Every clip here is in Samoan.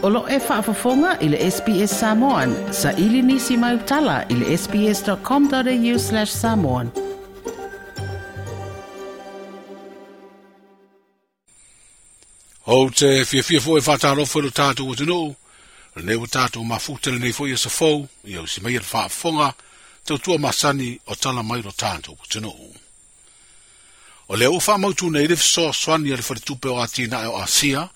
O lo e faafofoga i le SBS Samoan. Sa ili nisi mai utala i le sbs.com.au/samoan. Ou te fiafia foi e faatalofa i lo tatou atunuu, lenei ua tatou mafuta lenei foi aso fou, ia usi mai le faafofoga, tautua masani o tala mai lo tatou atunuu. O lea ua faamautu nei le fesoasoani a le Faletupe o Atinae o Asia,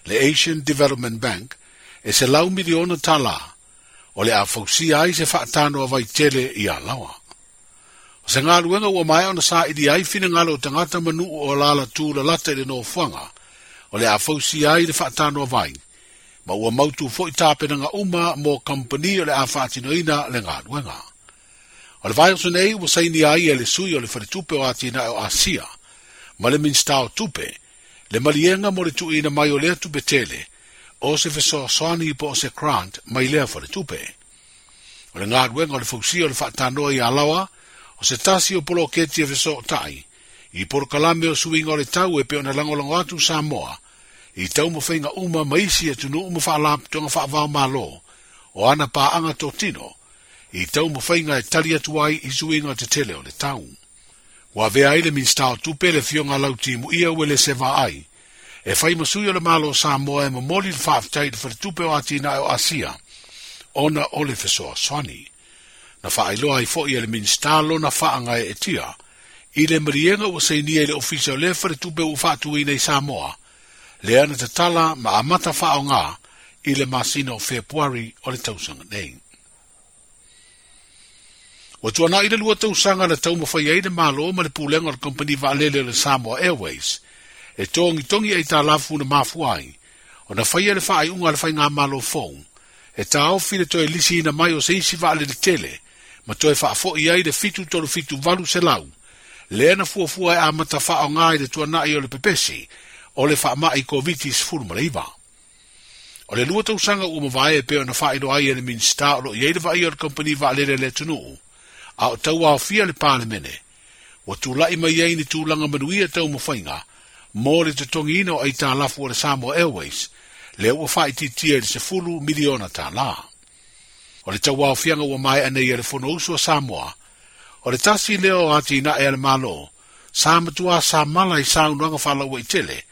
le Asian Development Bank, e $100 miliona, o le a fausia ai se faatanoa vaitele i Alaoa. O se galuega ua maea ona saili ai finagalo o tagata ma nuu o alaala tulalata i le nofoaga, o le a fausia ai le faatanoa vai, ma ua mautu foi tapenaga uma mo kampani o le a faatinoina le galuega. O le vaiaso nei ua sainia ai e le sui o le Faletupe o Atinae o Asia, ma le Minisita o Tupe, le maliega mo le tuuina mai o lea tupe tele, o se fesoasoani po o se grant mai lea faletupe. O le galuega o le fausia o le faatanoa i Alaoa, o se tasi o poloketi e fesootai, i polokalame o suiga o le tau e pei ona lagolago atu Samoa, i taumafaiga uma ma isi atunuu ma faalapotopotoga faava-o-Malo, o ana paaga totino, i taumafaiga e tali atu ai i suiga tetele o le tau. Ua avea ai le Minisita o Tupe le Afioga Lautimuia Uelese Vaai, e fai ma sui o le Malo o Samoa e momoli le faafetai i le Faletupe o Atinae o Asia, ona o le fesoasoani. Na faailoa ai foi e le Minisita lona faagaeetia i le maliega ua sainia i le ofisa o lea faletupe ua faatuina i Samoa, lea na tatala ma amata faaaoga i le masina o Fepuari o le tausaga nei. Ua tuanai le 2 tausaga na taumafai ai le Malo ma le pulega o le kamupani vaalele o le Samoa Airways e togitogi aitalafu na mafua ai ona faia le faaiuga a le faigamalo fou e taofi le toe lisiina mai o se isi vaalele tele ma toe faafoi ai le 737-800 lea na fuafua e amata faaaoga i le tuanai o le pepesi o le faamai Koviti-19. O le 2 tausaga ua mavae e pei ona faailoa ai e le Minisita o lo o i ai le vaaia o le kamupani vaalele a le atunuu, a o tauaofia le Palemene, ua tulai mai ai ni tulaga manuia taumafaiga mo le totogiina o aitalafu o le Samoa Airways, lea ua faaitiitia i le $10 miliona. O le tauaofiaga ua maea nei e le Fonousu a Samoa, o le tasi lea o atinae a le Malo, sa matua samala i saunoaga faalauaitele,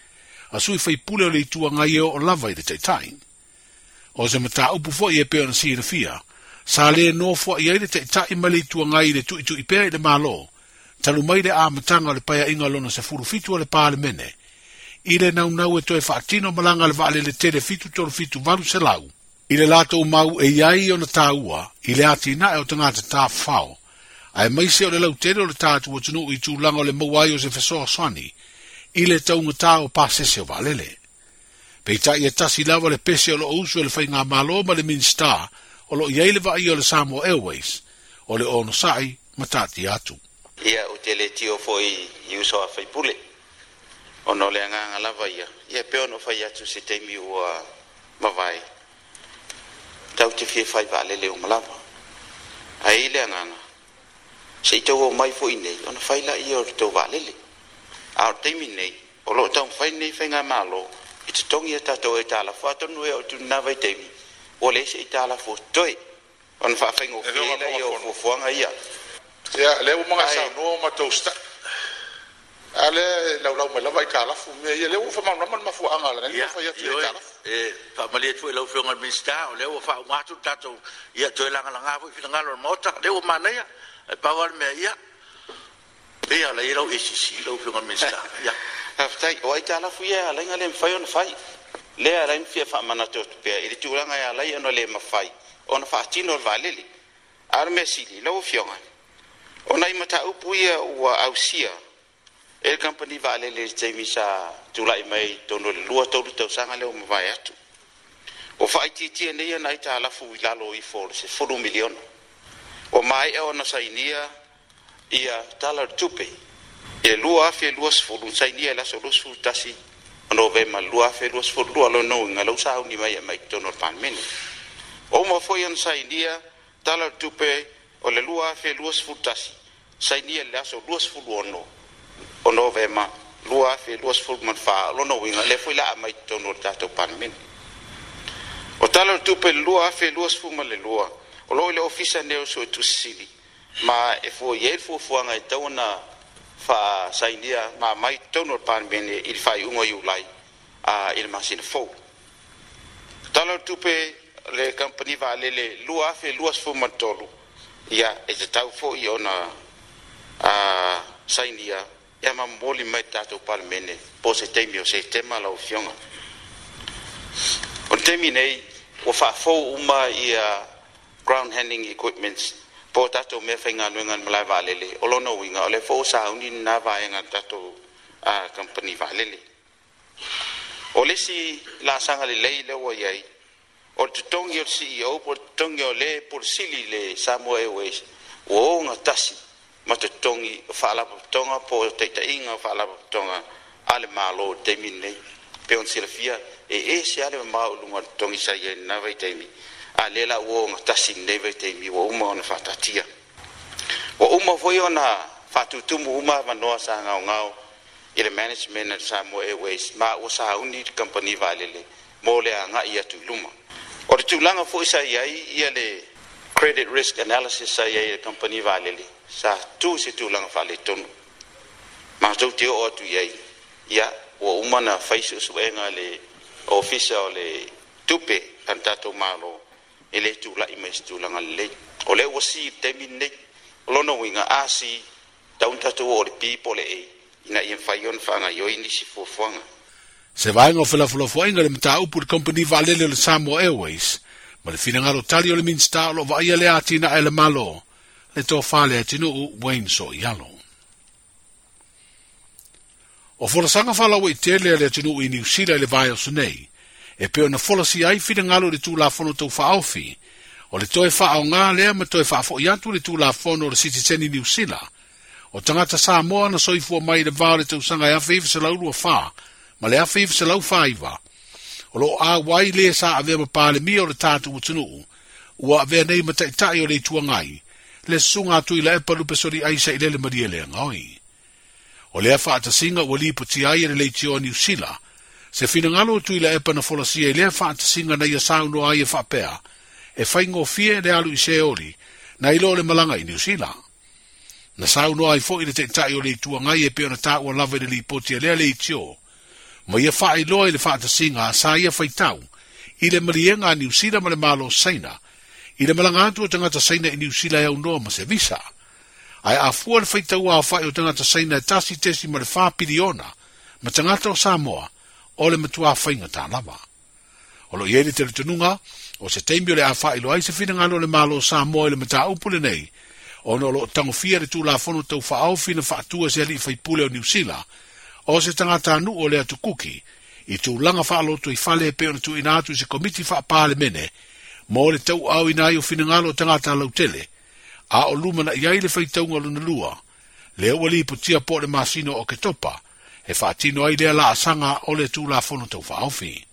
a sui faipule o le Itu Agai e oo lava i le Taitai. O se mataupu foi e pei ona silafia, sa le nofoai ai le Taitai ma le Itu Agai i le tuitui pea i le Malo, talu mai le amataga o le paeaiga lona 17 o le Palemene, i le naunau e toe faatino malaga a le vaalele tele 737-800, i le latou mau e i ai ona taua i le atinae o tagata tafafao, aemaise o le lautele o le tatou atunuu i tulaga o le maua ai o se fesoasoani i le taugata o pasese o vaalele. Peitai e tasi lava le pese o lo o usu e le faigamalo ma le Minisita o lo o i ai le vaaia o le Samoa Airways, o le onosai ma taatia atu. Ia, ou te le tio foi i uso a faipule, ona o le agaga lava ia, ia pei ona fai atu se taimi ua mavae, tau te fia fai vaalele uma lava. Ae i le agaga, se i tau omai foi nei, ona fai laia o le tou vaalele. A o le taimi nei, o lo o taumafai nei faigamalo i totogi a tatou aitalafu, atonu e oo atu i lena vaitaimi, ua leai se aitalafu o totoe, ona faafaigofie laia o fuafuaga ia. Ia, lea ua maga saunoa o matou usitai. A lea e laulau mai lava aitalafu mea ia, lea ua faamalamalama le mafuaaga o lea fai atu i aitalafu. E faamalie atu foi i lau Afioga i le Minisita, o lea ua faauma atu le tatou, ia toe lagalaga foi finagalo o le Maota, lea ua manaia, ae pau lava le mea, ia, pei lava o la e i ai lau ACC lau Afioga i le Minisita. Ia. Faafetai. O aitalafu ia e ala ai ona le mafai ona fai. Lea e ala ai ona fia faamanatu atu pea i le tulaga e ala ai ona le mafai ona faatino le vaalele. A o le mea sili, lau Afioga, o nai mataupu ia ua ausia e le kamupani vaalele i le taimi sa tulai mai i totonu o le 2-3 tausaga lea ua mavae atu. Ua faaitiitia nei ana aitalafu i lalo ifo o le $10 miliona. Ua maea ona sainia ia tala o le tupe i le 2020, sainia i le aso 21 o Novema 2022, lona uiga lau sauni mai e mai totonu o le Palemene. Ua uma foi ona sainia tala o le tupe o le 2021, sainia i le aso 26 o Novema 2024, lona uiga lea foi la aumai totonu o le tatou Palemene. O Tala o le Tupe 2022, o lo o i le ofisa nei o Suetusi Sili, ma e fua i ai le fuafuaga e tatau ona faasainia ma aumai i totonu o le Palemene i le faaiuga o Iulai i le masina fou. Tala o le Tupe le Kamupani Vaalele 2023, ia e tatau foi ona sainia ia ma momoli mai le tatou Palemene po o se taimi o Setema lau Afioga. O le taimi nei ua faafou uma ia ground handling equipments po o tatou mea faigaluega i le malae vaalele. O lona uiga o lea foi ua sauni lena vaega a le tatou kamupani vaalele. O le isi laasaga lelei lea ua i ai, o le totogi o le CEO po o le totogi o le Pule Sili i le Samoa Airways ua ogatasi ma totogi o faalapotopotoga po o taitaiga o faalapotopotoga a le Malo i le taimi lenei. Pei ona silafia, e ese lava le mamao i luga o le totogi sa i ai i lena vaitaimi, a o lea la ua ogatasi i lenei vaitaimi ua uma ona faataatia. Ua uma foi ona faatutumu uma avanoa sa gaogao i le management a le Samoa Airways, ma ua sauni le kamupani vaalele mo le agai atu i luma. O le tulaga foi sa i ai ia le credit risk analysis sa i ai i le kamupani vaalele, sa tu i se tulaga faaletonu. Matou te oo atu i ai, ia ua uma ona fai suesuega a le Ofisa o le Tupe a le tatou Malo, e le tulai mai se tulaga lelei. O lea ua si i le taimi lenei. O lona uiga, a si, tau na tatou oo i le B po o le A, ina ia mafai ona faagaoioi nisi fuafuaga. Se vaega o felafolafoaiga i le mataupu i le kamupani vaalele o le Samoa Airways ma le finagalo tali o le Minisita o lo o vaaia lea atinae a le Malo, le Tofa Leatinuu Wayne Soialo. O folasaga faalauaitele a le atunuu i Niu Sila i le vaiaso nei, e pei ona folasia ai finagalo i le Tulafono Tau Faaofi, o le toe faaaoga lea ma toe faafoi atu le Tulafono o le Sitiseni Niu Sila, o tagata Samoa na soifua mai i le va o le tausaga e 1924 ma le 1949, o lo o auai le sa avea ma Palemia o le tatou atunuu, ua avea nei ma Taitai o le Itu Agai, le Susuga a Tuilaepa Lupesoli Aisa i Lele Malielegaoi. O lea faatasiga ua lipotia ai e le Leitio a Niu Sila, se finagalo o Tuilaepa na folasia i lea faatasiga na ia saunoa ai e faapea, e faigofie le alu i Seoli, na i lo le malaga i Niu Sila. Na saunoa ai foi le Taitai o le Itu Agai e pei ona taua lava i le lipoti a lea leitio, ma ia faailoa i le faatasiga sa ia faitau i le maliega a Niu Sila ma le Malo Saina, i le malaga atu o tagata Saina i Niu Sila e aunoa ma se visa. Ae a fua le faitau aofai o tagata Saina e 1.4 piliona ma tagata o Samoa, o le matua faigata lava. O lo o i ai le talitonuga, o se taimi o le a faailoa ai se finagalo o le Malo o Samoa i le mataupu lenei, ona o lo o tagofia le Tulafono Tau Faaofi na faatua e se alii faipule o Niu Sila, o se tagatanuu o le Atu Kuki, i tulaga faalotoifale e pei ona tuuina atu i se Komiti Faa-Palemene mo le tauaaoina ai o finagalo o tagata lautele, a o lumanai ai le faitauga lona lua, lea ua lipotia po o le masina o Oketopa, e faatino ai lea laasaga o le Tulafono Tau Faaofi.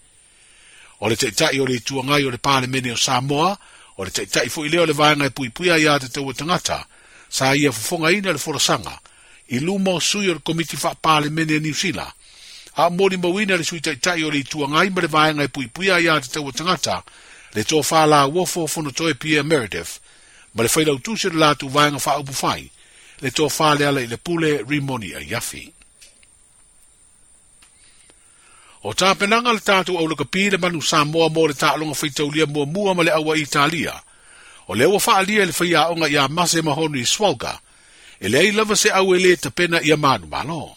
O le Taitai o le Itu Agai o le Palemene o Samoa, o le Taitai foi lea o le Vaega e Puipuia Aia Tatau a Tagata, sa ia fofogaina le folasaga i luma o sui o le Komiti Faa-Palemene a Niu Sila, a o molimauina le Sui Taitai o le Itu Agai ma le Vaega e Puipuia Aia Tatau a Tagata, le Tofa Lauofo Fonotoe Pierre Meredith, ma le Failautusi o le latou Vaega Faaupufai, le Tofa Lealailepule Rimoni Aiafi. O tapenaga a le tatou aulakapi le manu Samoa mo le taaloga faitaulia muamua ma le aua Italia, o lea ua faaalia e le faiaoga ia Mase Mahonri Swalga, e leai lava se au e lē tapena ia manumalo.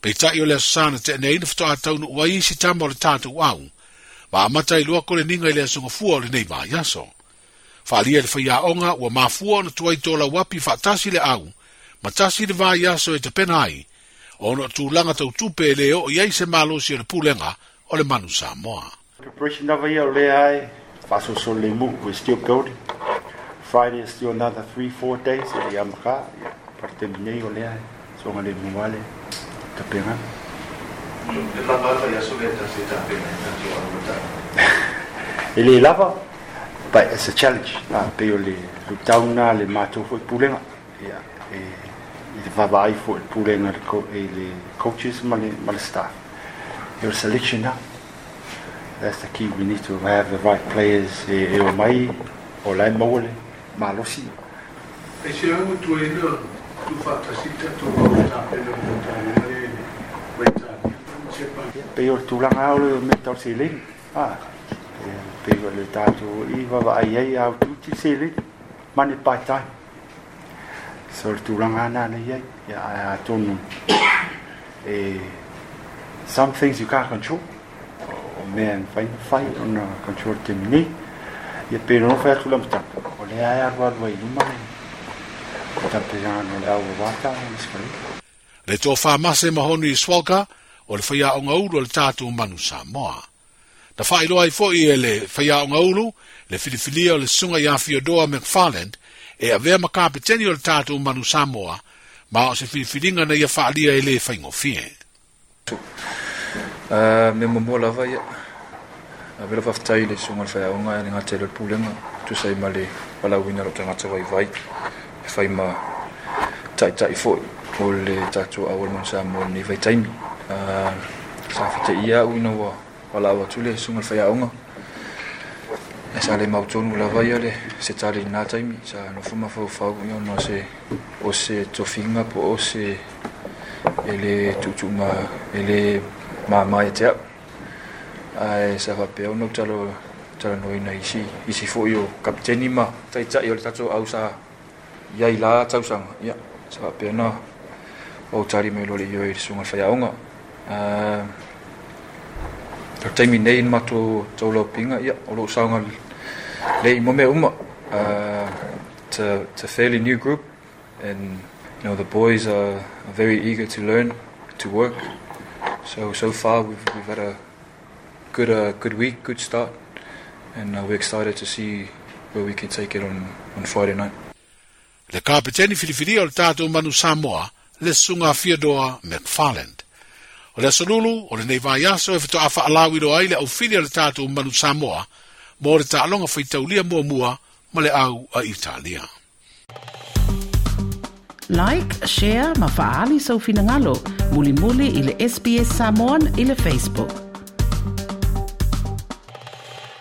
Peitai o le aso sa na tea nei na faatoa taunuu ai isi tama o le tatou au, ma amata ai loa koleniga i le aso gafua o lenei vaiaso. Faaalia e le faiaoga ua mafua ona tuai tolauapi faatasi le au, ma tasi le vaiaso e tapena ai, ona o tulaga tau tupe e le oo i ai se malosi o le Pulega o le Manu Samoa. Preparation lava ia o lea e faasolosolo lemu. We're still building. Friday is still another 3-4 days e le amaka. Ia, pa le taimi nei o lea e soga lemu lava le tapenaga. E lava le vaiaso lea tasi e tapena ai tatou alo ma tau. E le lava, but it's a challenge. Pei o le luitau lena a le matou foi pulega. Ia, e i le vaavaai foi i le pulega i le coaches ma le staff. Ia o le selection lena. That's the key. We need to have the right players e o mai o la e maua le malosi. Aisea ua tuai ona tuufaatasi le tatou au e tapena mo le taaloga lea i le ma Italia ma Siapani? E pei o le tulaga lava o le mea tau seleni. E pei o le tatou i vaavaai ai a utiuti le seleni, money buy time. So o le tulaga lava lena na i ai. Ae atonu e some things you can't control. O mea e mafai ona fai ona control i le taimi nei. Ia pei ona fai atu i le amataga, o lea e alualu ai i luma le tapenaga o le au aua taaloga ma Sikaleki. Le tofa Mase Mahoni Swalka o le faiaoga ulu a le tatou Manu Samoa. Na faailoa ai foi e le faiaoga ulu le filifilia o le Susuga ia Theodore McFarland e avea ma kapeteni o le tatou Manu Samoa, ma o se filifiliga na ia faaalia e le faigofie. Mea muamua lava ia, ave lau faafetai i le Susuga i le Faiaoga e le gata i le Pulega e tusa ai ma le valaauina o lou tagata vaivai e fai ma taitai foi o le tatou au o le Manu Samoa i lenei vaitaimi. Sa fetaia au ina ua valaau atu le Susuga i le Faiaoga, ae sa le mautonu lava ia le se tali i lena taimi. Sa nofo mafaufau ia ona o se tofiga po o se e le tuutuu ma e le mama ia te au. Ae sa faapea ona ou talanoaina i isi foi o kapiteni ma taitai o le tatou au sa i ai la tausaga. Ia, sa faapea ona ou tali mai loa le ioe i le susuga i le faiaoga. O le taimi nei i le matou taulaupiga, ia, o lo o saoga lelei mo mea uma. It's a fairly new group and you know the boys are very eager to learn, to work. So so far we've we've had a good good week, good start and we're excited to see where we can take it on on Friday night. Le kapeteni filifilia o le tatou Manu Samoa, le Susuga Theodore McFarland. O le Aso Lulu o lenei vaiaso e faatoa faalauiloa ai le aufili a le tatou Manu Samoa mo le taaloga faitaulia muamua ma le au a Italia. Like, share ma faaali sou finagalo mulimuli i le SBS Samoan i le Facebook.